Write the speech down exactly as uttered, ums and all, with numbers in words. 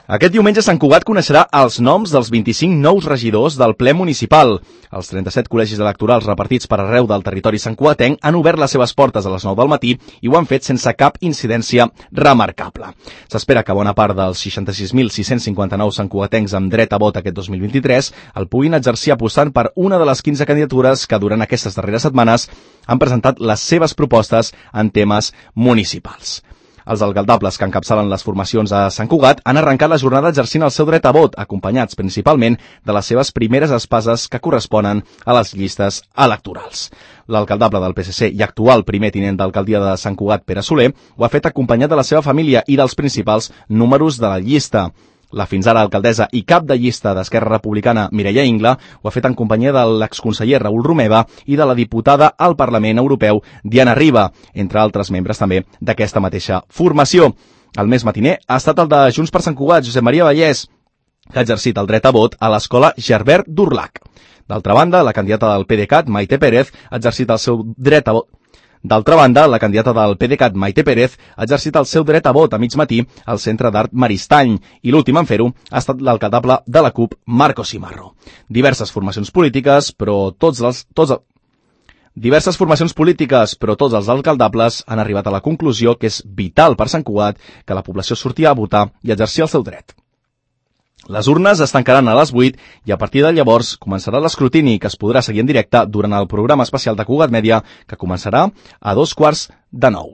Aquest diumenge Sant Cugat coneixerà els noms dels vint-i-cinc nous regidors del ple municipal. Els trenta-set col·legis electorals repartits per arreu del territori santcugatenc han obert les seves portes a les nou del matí i ho han fet sense cap incidència remarcable. S'espera que bona part dels seixanta-sis mil sis-cents cinquanta-nou santcugatencs amb dret a vot aquest dos mil vint-i-tres el puguin exercir apostant per una de les quinze candidatures que durant aquestes darreres setmanes han presentat les seves propostes en temes municipals. Els alcaldables que encapçalen les formacions a Sant Cugat han arrencat la jornada exercint el seu dret a vot, acompanyats principalment de les seves primeres espases que corresponen a les llistes electorals. L'alcaldable del P S C i actual primer tinent d'alcaldia de Sant Cugat, Pere Soler, ho ha fet acompanyat de la seva família i dels principals números de la llista. La fins ara alcaldessa i cap de llista d'Esquerra Republicana, Mireia Ingla, ho ha fet en companyia de l'exconseller Raül Romeva i de la diputada al Parlament Europeu, Diana Riba, entre altres membres també d'aquesta mateixa formació. El més matiner ha estat el de Junts per Sant Cugat, Josep Maria Vallès, que ha exercit el dret a vot a l'escola Gerbert d'Urlac. D'altra banda, la candidata del PDeCAT, Maite Pérez, ha exercit el seu dret a vot D'altra banda, la candidata del PDeCAT, Maite Pérez, ha exercit el seu dret a vot a mig matí al Centre d'Art Maristany i l'últim en fer-ho ha estat l'alcaldable de la CUP, Marco Simarro. Diverses formacions polítiques, però tots els... Tots el... Diverses formacions polítiques, però tots els alcaldables han arribat a la conclusió que és vital per Sant Cugat que la població surti a votar i exercir el seu dret. Les urnes es tancaran a les vuit i a partir de llavors començarà l'escrutini que es podrà seguir en directe durant el programa especial de Cugat Mèdia que començarà a dos quarts de nou.